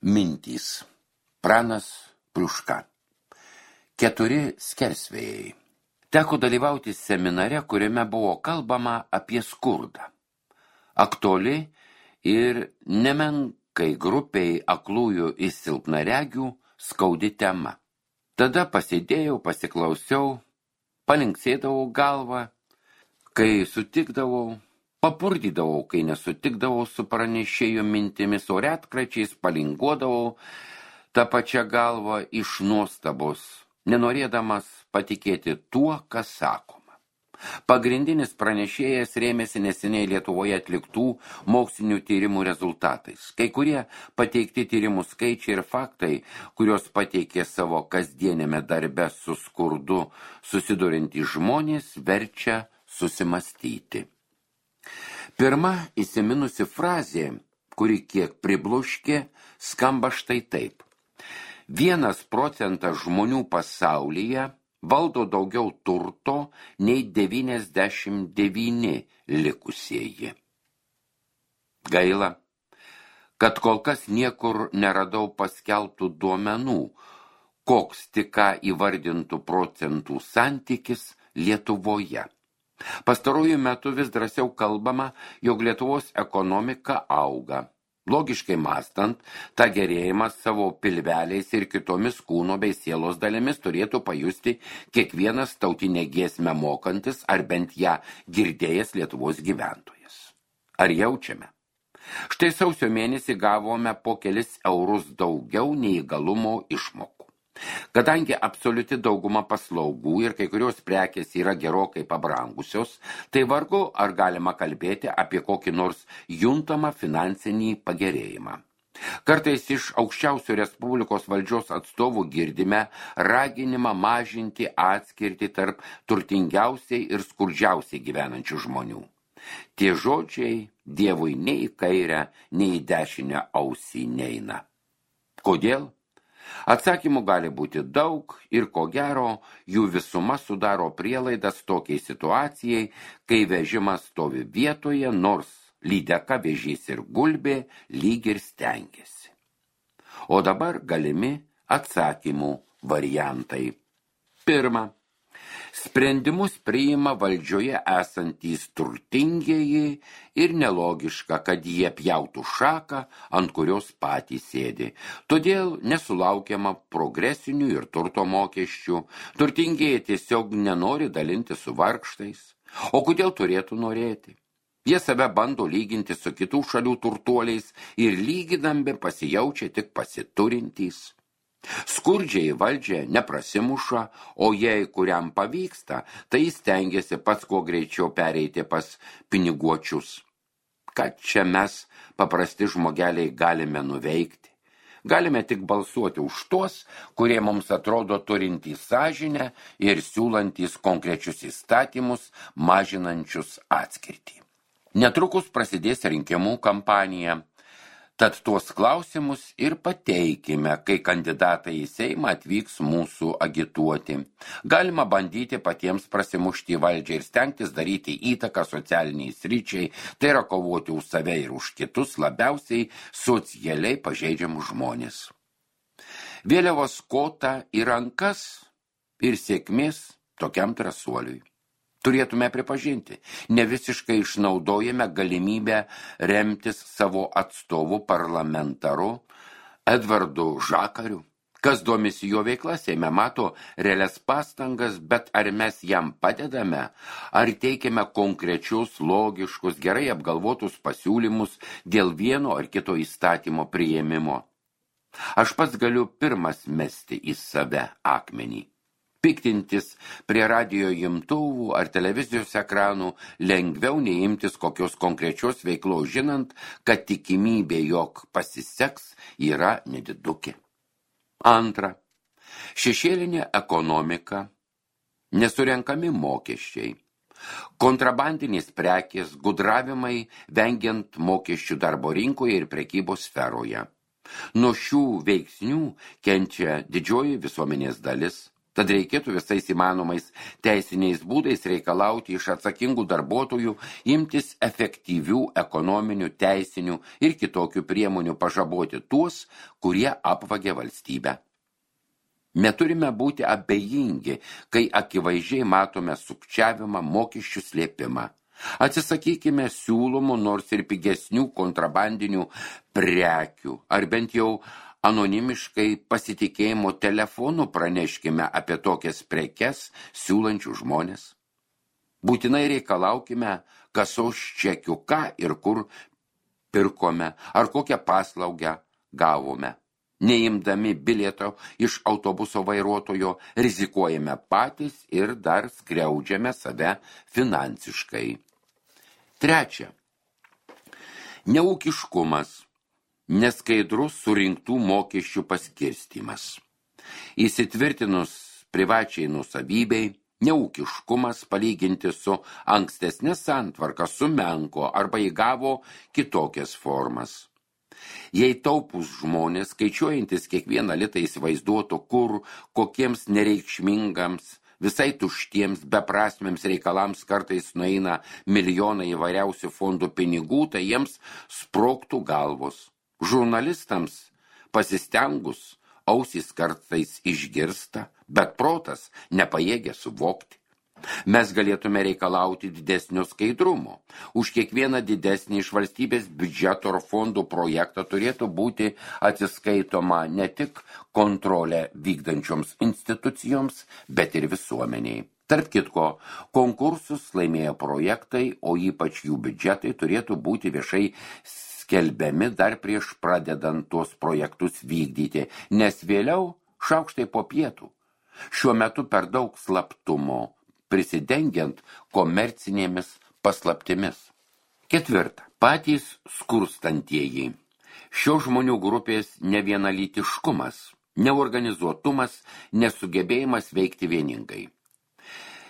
Mintys. Pranas Pliuška. 4 skersvėjai. Teko dalyvauti seminare, kuriame buvo kalbama apie skurdą. Aktuali ir nemenkai grupiai aklųjų ir silpnaregių skaudi tema. Tada pasėdėjau, pasiklausiau, palinksėdavau galvą, kai sutikdavau, papurdydavau, kai nesutikdavau su pranešėjo mintimis, o retkračiais palinguodavau tą pačią galvą iš nuostabos, nenorėdamas patikėti tuo, kas sakoma. Pagrindinis pranešėjas rėmėsi neseniai Lietuvoje atliktų mokslinių tyrimų rezultatais. Kai kurie pateikti tyrimų skaičiai ir faktai, kurios pateikė savo kasdienėme darbe su skurdu susiduriantys žmonės, verčia susimastyti. Pirma įsiminusi frazė, kuri kiek pribloškė, skamba štai taip. 1% žmonių pasaulyje valdo daugiau turto nei 99 likusieji. Gaila, kad kol kas niekur neradau paskelbtų duomenų, koks tik ką įvardintų procentų santykis Lietuvoje. Pastaruoju metu vis drąsiau kalbama, jog Lietuvos ekonomika auga. Logiškai mąstant, tą gerėjimą savo pilveliais ir kitomis kūno bei sielos dalimis turėtų pajusti kiekvienas tautinę giesmę mokantis ar bent ją girdėjęs Lietuvos gyventojas. Ar jaučiame? Štai sausio mėnesį gavome po kelis eurus daugiau neįgalumo išmokų. Kadangi absoliuti dauguma paslaugų ir kai kurios prekės yra gerokai pabrangusios, tai vargu ar galima kalbėti apie kokį nors juntamą finansinį pagerėjimą. Kartais iš aukščiausio Respublikos valdžios atstovų girdime raginimą mažinti atskirtį tarp turtingiausiai ir skurdžiausiai gyvenančių žmonių. Tie žodžiai Dievui nei į kairę, nei į dešinę ausį neina. Kodėl? Atsakymų gali būti daug ir ko gero jų visuma sudaro prielaidas tokiai situacijai, kai vežimas stovi vietoje, nors lydeka, vėžys ir gulbė lyg ir stengiasi. O dabar galimi atsakymų variantai. Pirma. Sprendimus priima valdžioje esantys turtingieji ir nelogiška, kad jie pjautų šaką, ant kurios patys sėdi. Todėl nesulaukiama progresinių ir turto mokesčių. Turtingieji tiesiog nenori dalinti su vargštais. O kodėl turėtų norėti? Jie save bando lyginti su kitų šalių turtuoliais ir lygindami pasijaučia tik pasiturintys. Skurdžiai valdžia neprasimuša, o jei kuriam pavyksta, tai stengiasi pats kuo greičiau pereiti pas piniguočius. Kad čia mes, paprasti žmogeliai, galime nuveikti? Galime tik balsuoti už tuos, kurie mums atrodo turintys sąžinę ir siūlantys konkrečius įstatymus, mažinančius atskirtį. Netrukus prasidės rinkimų kampanija. Tad tuos klausimus ir pateikime, kai kandidatai į Seimą atvyks mūsų agituoti. Galima bandyti patiems prasimušti į valdžią ir stengtis daryti įtaką socialiniai sričiai, tai yra kovoti už save ir už kitus labiausiai socialiai pažeidžiamus žmonės. Vėliavos kotą į rankas ir sėkmės tokiam drąsuoliui. Turėtume pripažinti, ne visiškai išnaudojame galimybę remtis savo atstovų parlamentaru Edvardu Žakariu. Kas domisi jo veikla, Seime mato realias pastangas, bet ar mes jam padedame, ar teikiame konkrečius, logiškus, gerai apgalvotus pasiūlymus dėl vieno ar kito įstatymo priėmimo. Aš pats galiu pirmas mesti į save akmenį. Piktintis prie radijo imtuvų ar televizijos ekranų lengviau neimtis kokios konkrečios veiklos, žinant, kad tikimybė, jog pasiseks, yra nedidukė. Antra. Šešėlinė ekonomika, nesurenkami mokesčiai, kontrabandinės prekės, gudravimai, vengiant mokesčių darbo rinkoje ir prekybos sferoje. Nuo šių veiksnių kenčia didžioji visuomenės dalis. Tad reikėtų visais įmanomais teisiniais būdais reikalauti iš atsakingų darbuotojų imtis efektyvių ekonominių, teisinių ir kitokių priemonių pažaboti tuos, kurie apvagia valstybę. Neturime būti abejingi, kai akivaizdžiai matome sukčiavimą, mokesčių slėpimą. Atsisakykime siūlomų nors ir pigesnių kontrabandinių prekių, ar bent jau anonimiškai pasitikėjimo telefonu praneškime apie tokias prekes siūlančių žmonės. Būtinai reikalaukime kasos čekių, ką ir kur pirkome, ar kokią paslaugą gavome. Neimdami bilieto iš autobuso vairuotojo, rizikuojame patys ir dar skriaudžiame save finansiškai. Trečia. Neūkiškumas. Neskaidrus surinktų mokesčių paskirstymas. Įsitvirtinus privačiai nusavybei, neūkiškumas palyginti su ankstesnė santvarka sumenko arba įgavo kitokias formas. Jei taupus žmonės, skaičiuojantis kiekvieną litą įsivaizduotų, kur kokiems nereikšmingams, visai tuštiems, beprasmiams reikalams kartais nueina milijonai įvairiausių fondų pinigų, tai jiems sprogtų galvos. Žurnalistams pasistengus ausys kartais išgirsta, bet protas nepajėgia suvokti. Mes galėtume reikalauti didesnio skaidrumo. Už kiekvieną didesnį iš valstybės biudžeto ar fondų projektą turėtų būti atsiskaitoma ne tik kontrolę vykdančioms institucijoms, bet ir visuomeniai. Tarp kitko, konkursus laimėjo projektai, o ypač jų biudžetai turėtų būti viešai skelbiami dar prieš pradedant tuos projektus vykdyti, nes vėliau šaukštai po pietų. Šiuo metu per daug slaptumo, prisidengiant komercinėmis paslaptimis. Ketvirta. Patys skurstantieji. Šio žmonių grupės nevienalytiškumas, neorganizuotumas, nesugebėjimas veikti vieningai.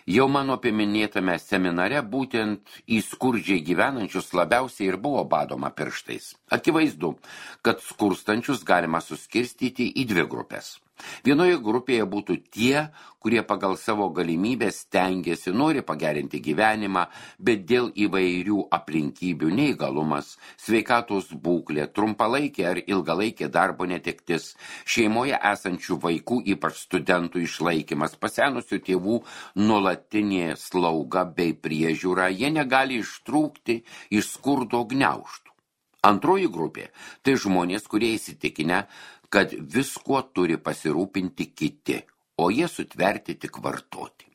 Jau mano paminėtame seminare būtent į skurdžiai gyvenančius labiausiai ir buvo badoma pirštais. Akivaizdu, kad skurstančius galima suskirstyti į dvi grupės. Vienoje grupėje būtų tie, kurie pagal savo galimybės stengiasi, nori pagerinti gyvenimą, bet dėl įvairių aplinkybių neįgalumas, sveikatos būklė, trumpalaikė ar ilgalaikė darbo netektis, šeimoje esančių vaikų, ypač studentų išlaikymas, pasenusių tėvų nuolatinė slauga bei priežiūra, jie negali ištrūkti iš skurdo gniaužtų. Antroji grupė – tai žmonės, kurie įsitikinę, kad viskuo turi pasirūpinti kiti, o jie sutverti tik vartoti.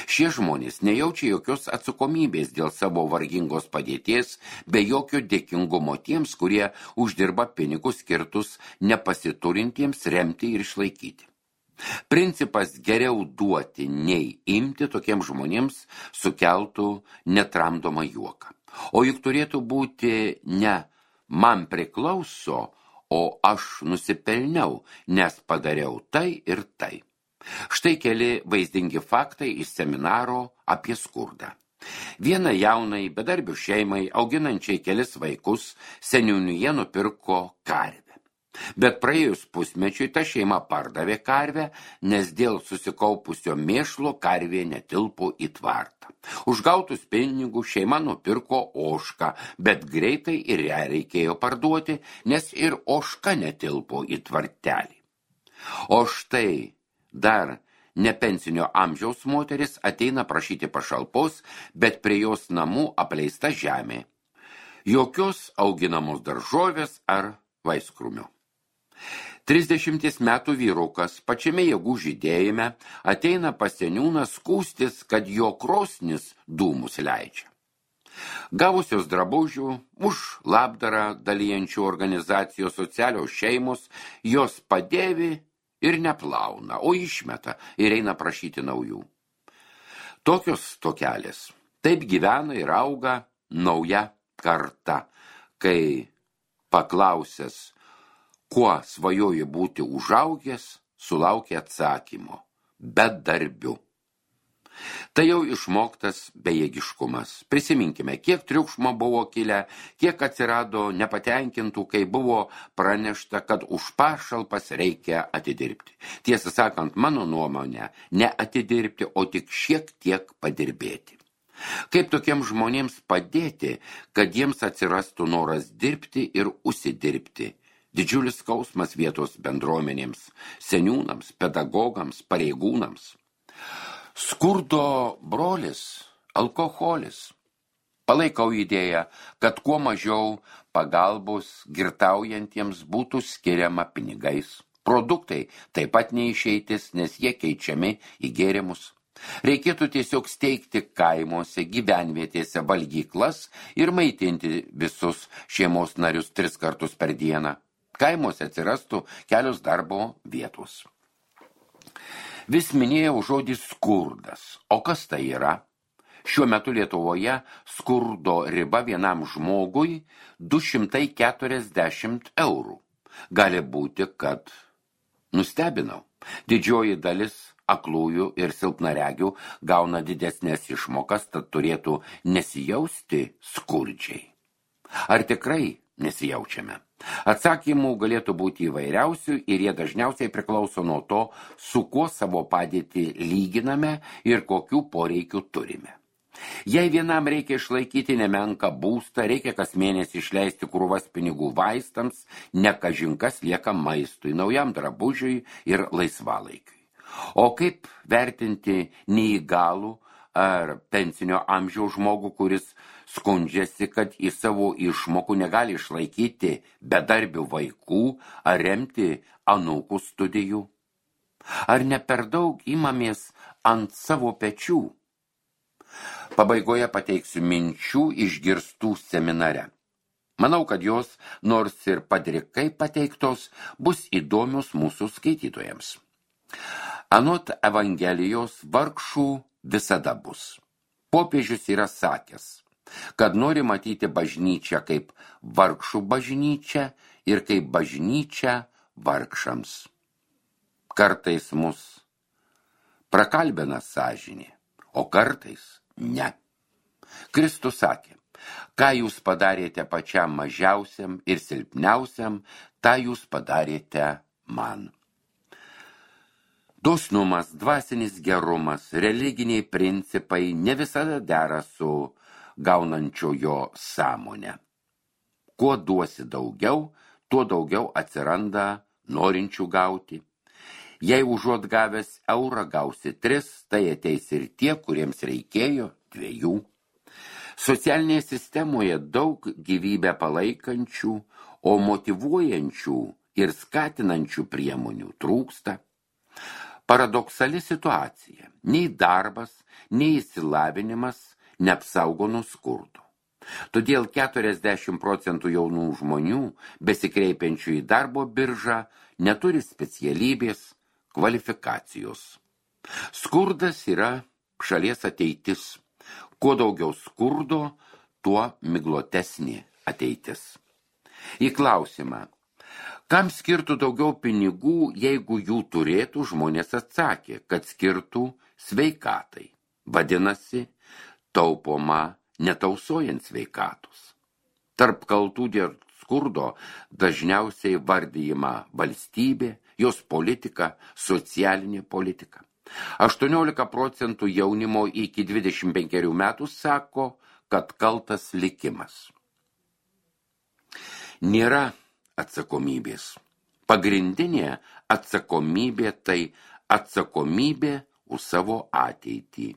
Šie žmonės nejaučia jokios atsakomybės dėl savo vargingos padėties, be jokio dėkingumo tiems, kurie uždirba pinigus skirtus nepasiturintiems remti ir išlaikyti. Principas geriau duoti nei imti tokiems žmonėms sukeltų netramdomą juoką. O juk turėtų būti ne man priklauso, o aš nusipelniau, nes padariau tai ir tai. Štai keli vaizdingi faktai iš seminaro apie skurdą. Vienai jaunai bedarbių šeimai, auginančiai kelis vaikus, seniūnija nupirko karvę. Bet praėjus pusmečiui ta šeima pardavė karvę, nes dėl susikaupusio mėšlo karvė netilpo į tvartą. Už gautus pinigus šeima nupirko ožką, bet greitai ir ją reikėjo parduoti, nes ir ožka netilpo į tvartelį. O štai dar nepensinio amžiaus moteris ateina prašyti pašalpos, bet prie jos namų apleista žemė. Jokios auginamos daržovės ar vaiskrūmio. 30 metų vyrukas pačiame jėgų žydėjime ateina pas seniūną skųstis, kad jo krosnis dūmus leidžia. Gavusios drabužių už labdarą dalijančių organizacijos socialios šeimos jos padėvi ir neplauna, o išmeta ir eina prašyti naujų. Tokios tokelės. Taip gyvena ir auga nauja karta, kai paklausęs, kuo svajoji būti užaugęs, sulaukia atsakymo – bedarbiu. Tai jau išmoktas bejėgiškumas. Prisiminkime, kiek triukšmo buvo kilę, kiek atsirado nepatenkintų, kai buvo pranešta, kad už pašalpas reikia atidirbti. Tiesą sakant, mano nuomonė, ne atidirbti, o tik šiek tiek padirbėti. Kaip tokiems žmonėms padėti, kad jiems atsirastų noras dirbti ir užsidirbti? Didžiulis skausmas vietos bendruomenėms, seniūnams, pedagogams, pareigūnams. Skurdo brolis – alkoholis. Palaikau idėją, kad kuo mažiau pagalbos girtaujantiems būtų skiriama pinigais. Produktai taip pat neišeitis, nes jie keičiami į gėrimus. Reikėtų tiesiog steigti kaimuose, gyvenvietėse valgyklas ir maitinti visus šeimos narius 3 kartus per dieną. Kaimuose atsirastų kelios darbo vietos. Vis minėjau žodį skurdas. O kas tai yra? Šiuo metu Lietuvoje skurdo riba vienam žmogui 240 eurų. Gali būti, kad nustebinau. Didžioji dalis aklųjų ir silpnaregių gauna didesnės išmokas, tad turėtų nesijausti skurdžiai. Ar tikrai nesijaučiame? Atsakymų galėtų būti įvairiausių ir jie dažniausiai priklauso nuo to, su kuo savo padėtį lyginame ir kokių poreikių turime. Jei vienam reikia išlaikyti nemenką būstą, reikia kas mėnesį išleisti krūvas pinigų vaistams, ne kažin kas lieka maistui, naujam drabužiui ir laisvalaikiui. O kaip vertinti neįgalų ar pensinio amžiaus žmogų, kuris skundžiasi, kad į savo išmokų negali išlaikyti bedarbių vaikų ar remti anūkų studijų? Ar ne per daug imamės ant savo pečių? Pabaigoje pateiksiu minčių išgirstų seminare. Manau, kad jos, nors ir padrikai pateiktos, bus įdomios mūsų skaitytojams. Anot Evangelijos vargšų visada bus. Popiežius yra sakęs, kad nori matyti bažnyčią kaip vargšų bažnyčią ir kaip bažnyčią vargšams. Kartais mus prakalbina sąžinė, o kartais ne. Kristus sakė, ką jūs padarėte pačiam mažiausiam ir silpniausiam, tą jūs padarėte man. Dosnumas, dvasinis gerumas, religiniai principai ne visada dera su gaunančiojo sąmonę. Kuo duosi daugiau, tuo daugiau atsiranda norinčių gauti. Jei užuot gavęs eurą gausi 3, tai ateis ir tie, kuriems reikėjo 2. Socialinėje sistemoje daug gyvybę palaikančių, o motyvuojančių ir skatinančių priemonių trūksta. Paradoksali situacija. Nei darbas, nei išsilavinimas neapsaugo nuo skurdo. Todėl 40% jaunų žmonių, besikreipiančių į darbo biržą, neturi specialybės, kvalifikacijos. Skurdas yra šalies ateitis. Kuo daugiau skurdo, tuo miglotesnė ateitis. Į klausimą, kam skirtų daugiau pinigų, jeigu jų turėtų, žmonės atsakė, kad skirtų sveikatai. Vadinasi, taupoma netausojant sveikatos. Tarp kaltų dėl skurdo dažniausiai vardijama valstybė, jos politika, socialinė politika. 18% jaunimo iki 25 metų sako, kad kaltas likimas. Nėra atsakomybės. Pagrindinė atsakomybė tai atsakomybė už savo ateitį.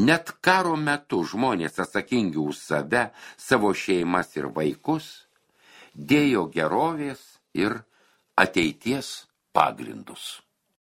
Net karo metu žmonės atsakingi už save, savo šeimas ir vaikus, dėjo gerovės ir ateities pagrindus.